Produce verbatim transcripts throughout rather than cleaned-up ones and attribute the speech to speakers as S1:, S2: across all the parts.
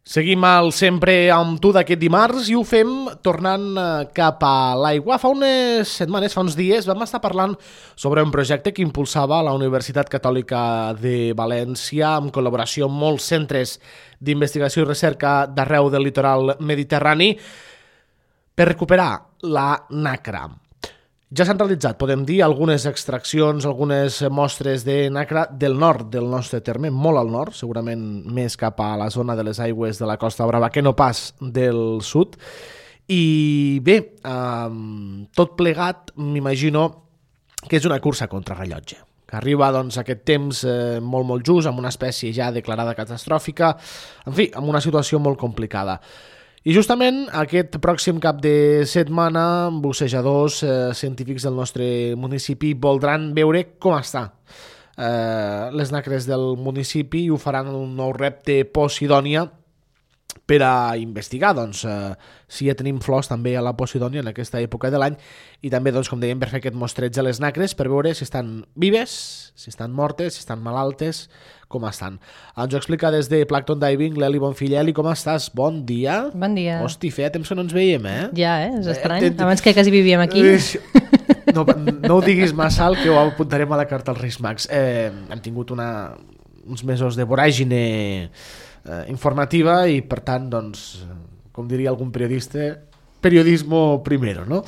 S1: Seguim al Sempre amb tu d'aquest dimarts i ho fem tornant cap a l'aigua. Fa unes setmanes, fa uns dies, vam estar parlant sobre un projecte que impulsava la Universitat Catòlica de València en col·laboració amb molts centres d'investigació i recerca d'arreu del litoral mediterrani per recuperar la nacra. Ja s'han realitzat, podem dir, algunes extraccions, algunes mostres de nacra del nord del nostre terme, molt al nord, segurament més cap a la zona de les aigües de la Costa Brava que no pas del sud. I bé, eh, tot plegat m'imagino que és una cursa contra rellotge, que arriba doncs, aquest temps eh, molt, molt just, amb una espècie ja declarada catastròfica, en fi, amb una situació molt complicada. I justament aquest pròxim cap de setmana, bussejadors eh, científics del nostre municipi voldran veure com està eh, les nacres del municipi i ho faran un nou repte Posidònia per a investigar doncs, eh, si ja tenim flors també a la Posidònia en aquesta època de l'any i també, doncs, com dèiem, per fer aquest mostreig a les nacres per veure si estan vives, si estan mortes, si estan malaltes, com estan. Ens ho explica des de Plankton Diving l'Eli Bonfilleli. Com estàs? Bon dia.
S2: Bon dia.
S1: Hosti, feia temps que no ens veiem, eh?
S2: Ja, eh? És estrany. Eh, Abans que quasi vivíem aquí.
S1: No, no ho diguis massa alt, que ho apuntarem a la carta als Reis Mags. Eh, hem tingut una, uns mesos de voràgine eh, informativa i, per tant, doncs, com diria algun periodista, periodismo primero, no?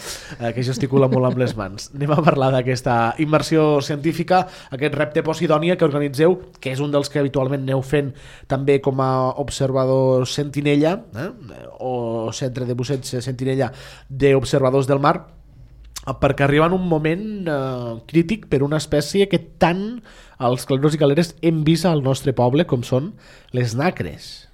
S1: Eh, que gesticula molt amb les mans. Anem a parlar d'aquesta immersió científica, aquest repte Posidònia que organitzeu, que és un dels que habitualment aneu fent també com a observador sentinella, eh? o centre de busseig sentinella d'observadors del mar, perquè arriba en un moment eh, crític per una espècie que tant els caleros i caleres hem vist al nostre poble com són les nacres.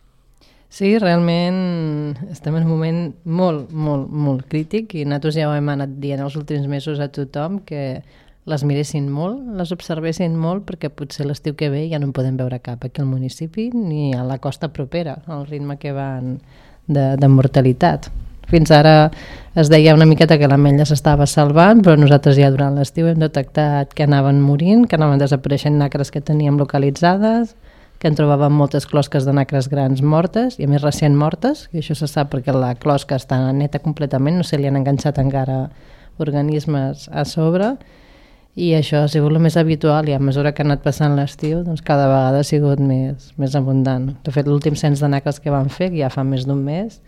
S2: Sí, realment estem en un moment molt, molt, molt crític i nosaltres ja ho hem anat dient els últims mesos a tothom que les miressin molt, les observessin molt, perquè potser l'estiu que ve ja no en podem veure cap aquí al municipi ni a la costa propera, al ritme que van de, de mortalitat. Fins ara es deia una miqueta que l'ametlla s'estava salvant, però nosaltres ja durant l'estiu hem detectat que anaven morint, que anaven desapareixent nacres que teníem localitzades, que en trobàvem moltes closques de nacres grans mortes, i a més recent mortes, i això se sap perquè la closca està neta completament, no se li han enganxat encara organismes a sobre, i això ha sigut el més habitual, i a mesura que ha anat passant l'estiu, doncs cada vegada ha sigut més, més abundant. De fet, l'últim cens de nacres que vam fer, ja fa més d'un mes,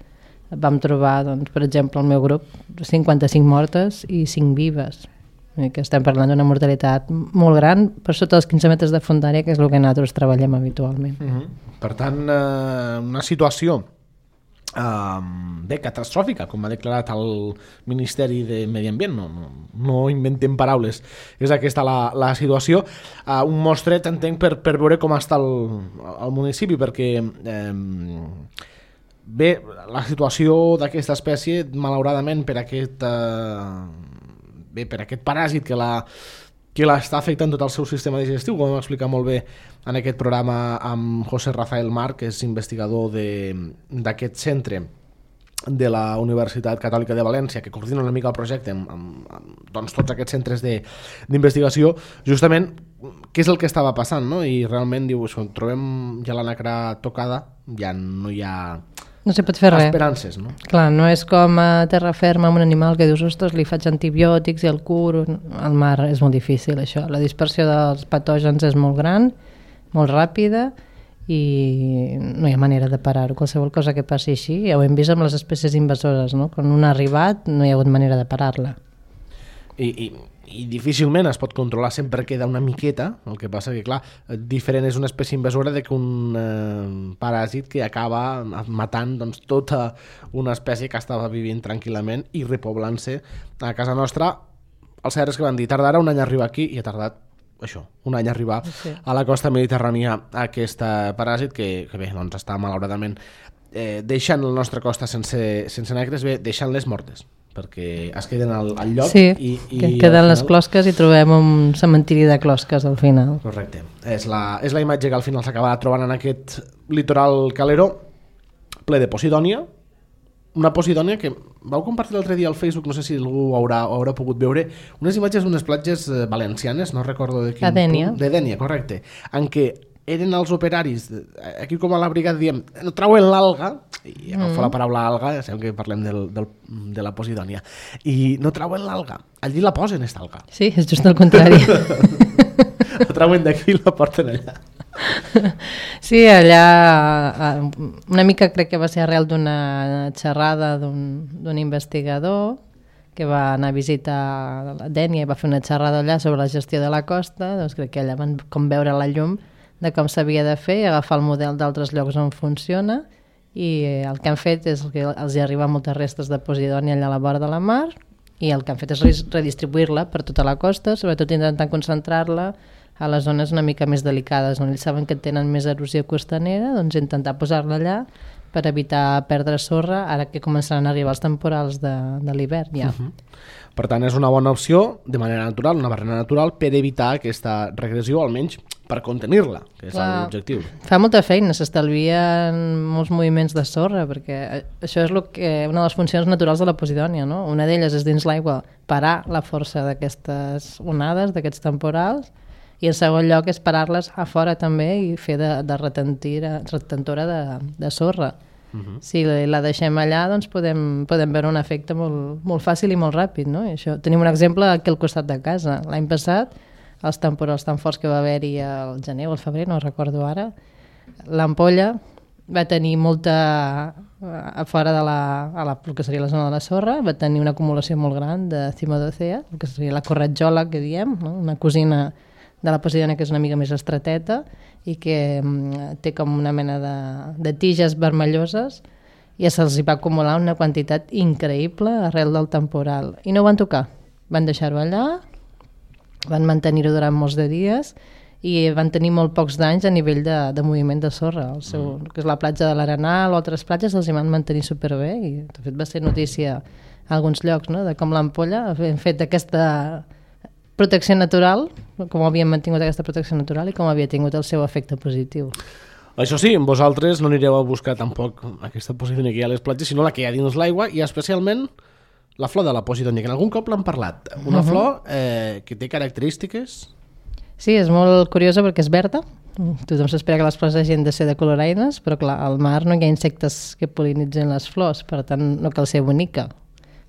S2: vam trobar, doncs, per exemple, al meu grup, cinquanta-cinc mortes i cinc vives, que estem parlant d'una mortalitat molt gran per sota dels quinze metres de fondària, que és el que nosaltres treballem habitualment.
S1: Uh-huh. Per tant, eh, una situació eh, bé, catastròfica, com ha declarat el Ministeri de Medi Ambient, no, no, no inventem paraules, és aquesta la, la situació. Eh, un mostret, entenc, per, per veure com està el, el municipi, perquè eh, bé, la situació d'aquesta espècie, malauradament, per aquest... Eh, bé, per aquest paràsit que la que l'està afectant tot el seu sistema digestiu, com vam explicar molt bé en aquest programa amb José Rafael Mar, que és investigador d'aquest centre de la Universitat Catòlica de València, que coordina una mica el projecte amb, amb, amb doncs, tots aquests centres d'investigació, justament què és el que estava passant, no? I realment diu, trobem ja la nacra tocada, ja no hi ha...
S2: No se pot fer res.
S1: Esperances, no?
S2: Clar, no és com a terra ferma amb un animal que dius, ostres, li faig antibiòtics i el curo. Al mar és molt difícil, això. La dispersió dels patògens és molt gran, molt ràpida, i no hi ha manera de parar-ho. Qualsevol cosa que passi així, ja ho hem vist amb les espècies invasores, no? Quan una ha arribat, no hi ha hagut manera de parar-la.
S1: I, i, i difícilment es pot controlar, sempre queda una miqueta, el que passa que, clar, diferent és una espècie invasora de que un eh, paràsit que acaba matant doncs, tota una espècie que estava vivint tranquil·lament i repoblant-se a casa nostra. Els cert és que van dir, tardarà un any a arribar aquí, i ha tardat això, un any a arribar sí. a la costa mediterrània aquest paràsit que, que bé, doncs està malauradament eh, deixant la nostra costa sense, sense nacres, bé, deixant-les mortes, perquè es queden al, al lloc
S2: sí,
S1: i, i
S2: que queden
S1: final...
S2: les closques i trobem un cementiri de closques al final.
S1: Correcte, és la, és la imatge que al final s'acabarà trobant en aquest litoral calero ple de Posidònia, una Posidònia que vau compartir l'altre dia al Facebook, no sé si algú haurà, haurà pogut veure, unes imatges d'unes platges valencianes, no recordo de quin
S2: punt. De Dénia.
S1: De Dénia, correcte, en què eren els operaris, aquí com a la brigada diem, no trauen l'alga, i agafo mm. la paraula alga, ja sabem que parlem del, del, de la Posidònia, i no trauen l'alga, allí la posen, esta alga.
S2: Sí, és just el contrari.
S1: La trauen d'aquí i la porten allà.
S2: Sí, allà una mica crec que va ser arrel d'una xerrada d'un investigador que va anar a visitar la Dénia i va fer una xerrada allà sobre la gestió de la costa, doncs crec que allà van com veure la llum de com s'havia de fer i agafar el model d'altres llocs on funciona, i el que han fet és que els hi arriben moltes restes de Posidònia allà a la vora de la mar, i el que han fet és redistribuir-la per tota la costa, sobretot intentant concentrar-la a les zones una mica més delicades, on ells saben que tenen més erosió costanera, doncs intentar posar-la allà per evitar perdre sorra ara que començaran a arribar els temporals de, de l'hivern ja. Uh-huh.
S1: Per tant, és una bona opció de manera natural, una barrera natural per evitar aquesta regressió, almenys per contenir-la, que és l'objectiu.
S2: Fa molta feina, s'estalvien molts moviments de sorra, perquè això és lo que, una de les funcions naturals de la Posidònia, no? Una d'elles és dins l'aigua parar la força d'aquestes onades, d'aquests temporals, i en segon lloc és parar-les a fora també i fer de, de retentora de, de sorra. Uh-huh. Si la deixem allà, doncs podem, podem veure un efecte molt, molt fàcil i molt ràpid, no? I això, tenim un exemple aquí al costat de casa. L'any passat, els temporals tan forts que va haver-hi al gener o al febrer, no recordo ara, l'ampolla va tenir molta, a fora de la, a la, el que seria la zona de la sorra, va tenir una acumulació molt gran de cimodocea, el que seria la corretjola que diem, no? Una cosina de la Posidònia que és una mica més estreteta i que mm, té com una mena de, de tiges vermelloses, i se'ls va acumular una quantitat increïble arrel del temporal. I no ho van tocar, van deixar-ho allà, van mantenir-ho durant molts de dies i van tenir molt pocs danys a nivell de, de moviment de sorra. El seu, mm. que és la platja de l'Arenal o altres platges, els hi van mantenir superbé, i de fet va ser notícia a alguns llocs, no? De com l'ampolla ha fet aquesta protecció natural, com havien mantingut aquesta protecció natural i com havia tingut el seu efecte positiu.
S1: Això sí, vosaltres no anireu a buscar tampoc aquesta Posidònia que hi ha a les platges, sinó la que hi ha dins l'aigua, i especialment la flor de la Posidònia, que en algun cop l'han parlat. Una uh-huh. flor eh, que té característiques...
S2: Sí, és molt curiosa perquè és verda. Tothom s'espera que les flors hagin de ser de color aines, però clar, al mar no hi ha insectes que pol·linitzen les flors, per tant no cal ser bonica.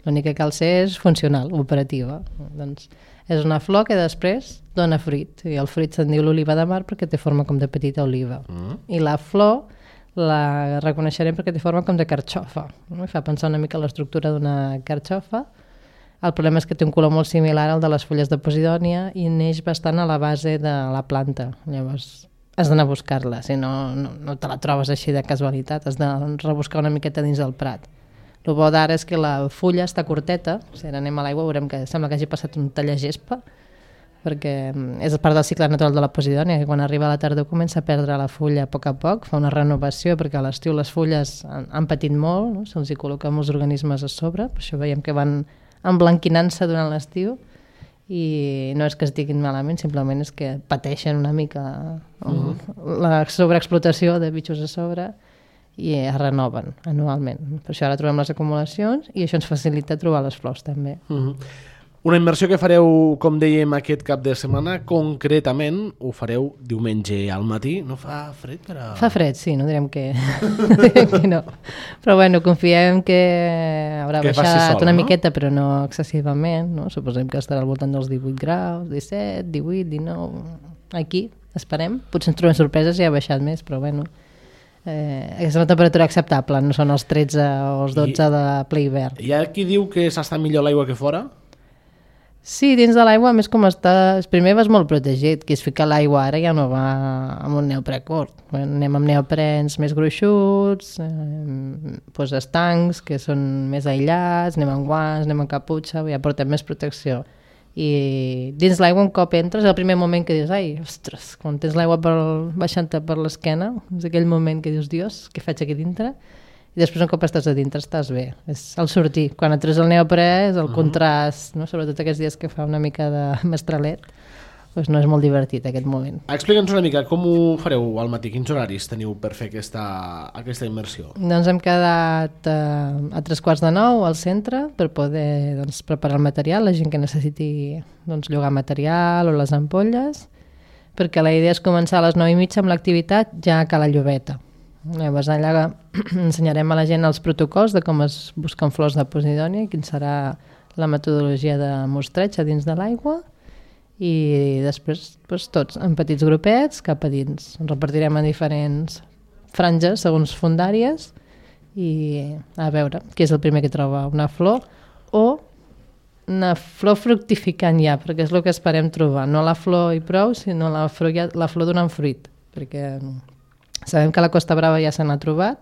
S2: L'únic que cal ser és funcional, operativa. Doncs és una flor que després dona fruit, i el fruit se'n diu l'oliva de mar perquè té forma com de petita oliva. Mm. I la flor la reconeixerem perquè té forma com de carxofa. No? Fa pensar una mica l'estructura d'una carxofa. El problema és que té un color molt similar al de les fulles de Posidònia i neix bastant a la base de la planta. Llavors has d'anar a buscar-la, si no, no, no te la trobes així de casualitat, has de rebuscar una miqueta dins del prat. El bo d'ara és que la fulla està curteta, si ara anem a l'aigua veurem que sembla que hagi passat un tallagespa, perquè és part del cicle natural de la Posidònia, que quan arriba a la tardor comença a perdre la fulla a poc a poc, fa una renovació, perquè a l'estiu les fulles han, han patit molt, no? Se'ls hi col·loquen molts organismes a sobre, per això veiem que van emblanquinant-se durant l'estiu, i no és que estiguin malament, simplement és que pateixen una mica mm-hmm. la sobreexplotació de bitxos a sobre, i es renoven anualment. Per això ara trobem les acumulacions i això ens facilita trobar les flors també.
S1: Mm-hmm. Una immersió que fareu, com dèiem, aquest cap de setmana, concretament ho fareu diumenge al matí. No fa fred? Per a...
S2: Fa fred, sí, no direm que, direm que no. Però bueno, confiem que haurà que baixat sol, una no? miqueta, però no excessivament. No? Suposem que estarà al voltant dels divuit graus, disset, divuit, dinou... Aquí, esperem. Potser ens trobem sorpreses i ha baixat més, però bueno... Eh, és una temperatura acceptable, no són els tretze o els dotze I, de ple hivern.
S1: Hi ha qui diu que s'està millor l'aigua que fora?
S2: Sí, dins de l'aigua, més com està... Primer vas molt protegit, qui es fica a l'aigua ara ja no va amb un neoprè curt. Bueno, anem amb neoprens més gruixuts, eh, doncs estancs, que són més aïllats, anem amb guants, anem amb caputxa, ja portem més protecció. I dins l'aigua un cop entres, és el primer moment que dius, ai, ostres, quan tens l'aigua per, baixant-te per l'esquena, és aquell moment que dius, Dios, què faig aquí dintre? I després un cop estàs a dintre estàs bé. És el sortir. Quan et treus el neoprè és el uh-huh. contrast, no? Sobretot aquests dies que fa una mica de mestralet, doncs no és molt divertit aquest moment.
S1: Explica'ns una mica com ho fareu al matí, quins horaris teniu per fer aquesta, aquesta immersió?
S2: Doncs hem quedat eh, a tres quarts de nou al centre per poder doncs, preparar el material, la gent que necessiti doncs, llogar material o les ampolles. perquè la idea és començar a les nou i mitja amb l'activitat ja a Cala Llobeta. Llavors allà ensenyarem a la gent els protocols de com es busquen flors de posidònia, quin serà la metodologia de mostreig a dins de l'aigua, i després doncs, tots en petits grupets cap a dins. Ens repartirem en diferents franges segons fundàries i a veure qui és el primer que troba una flor o una flor fructificant ja, perquè és el que esperem trobar, no la flor i prou, sinó la flor, ja, la flor donant fruit, perquè sabem que a la Costa Brava ja se n'ha trobat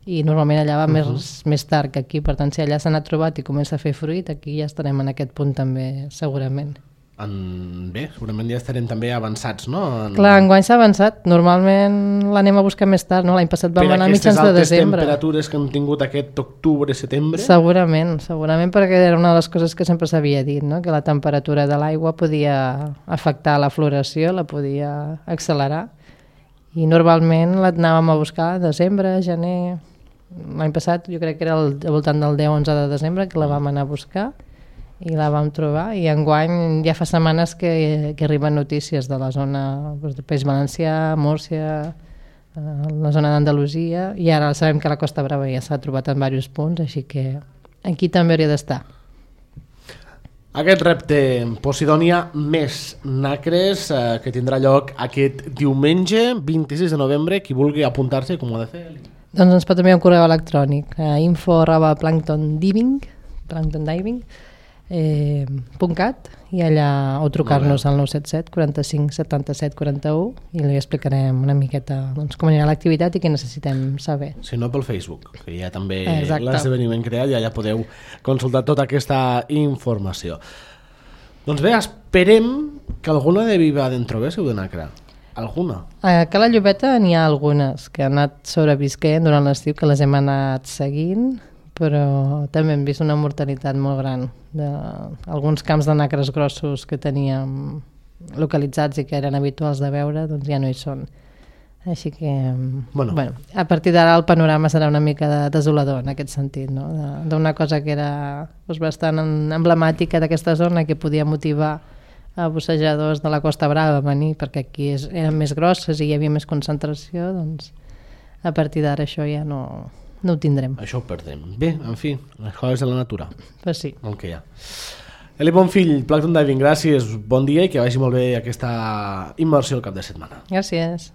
S2: i normalment allà va uh -huh. més, més tard que aquí, per tant si allà se n'ha trobat i comença a fer fruit, aquí ja estarem en aquest punt també segurament.
S1: En... Bé, segurament ja estarem també avançats, no? En...
S2: Clar, enguany s'ha avançat. Normalment l'anem a buscar més tard, no? L'any passat vam anar a mitjans de desembre.
S1: Per aquestes altes temperatures que han tingut aquest octubre-setembre?
S2: Segurament, segurament perquè era una de les coses que sempre s'havia dit, no? Que la temperatura de l'aigua podia afectar la floració, la podia accelerar. I normalment l'anàvem a buscar a desembre, gener... L'any passat jo crec que era al voltant del deu onze de desembre que la vam anar a buscar i la vam trobar, i enguany ja fa setmanes que, que arriben notícies de la zona doncs, del País Valencià, Múrcia, eh, la zona d'Andalusia, i ara sabem que la Costa Brava ja s'ha trobat en diversos punts, així que aquí també hauria d'estar.
S1: Aquest repte Posidònia més nacres eh, que tindrà lloc aquest diumenge vint-i-sis de novembre, qui vulgui apuntar-se, com ho ha de fer?
S2: Doncs ens pot enviar un correu electrònic a info arroba plankton diving plankton diving Eh, .cat i allà o trucar-nos al nou set set quaranta-cinc setanta-set quaranta-u i li explicarem una miqueta doncs, com anirà l'activitat i què necessitem saber.
S1: Si no, pel Facebook, que hi ha també
S2: Exacte.
S1: l'esdeveniment creat i allà podeu consultar tota aquesta informació. Doncs bé, esperem que alguna de Viva d'en trobéssiu de nacra. Alguna?
S2: A Cala Llobeta n'hi ha algunes que han anat sobrevisquent durant l'estiu, que les hem anat seguint, però també hem vist una mortalitat molt gran d'alguns camps de nacres grossos que teníem localitzats i que eren habituals de veure, doncs ja no hi són. Així que, bueno, bueno a partir d'ara el panorama serà una mica desolador en aquest sentit, no? D'una cosa que era doncs, bastant emblemàtica d'aquesta zona, que podia motivar a bussejadors de la Costa Brava a venir, perquè aquí és, eren més grosses i hi havia més concentració, doncs a partir d'ara això ja no... no ho tindrem.
S1: Això ho perdem. Bé, en fi, les coses de la natura.
S2: Pues sí.
S1: El que hi ha. Eli Bonfill, Plankton Diving, gràcies, bon dia i que vagi molt bé aquesta immersió al cap de setmana.
S2: Gràcies.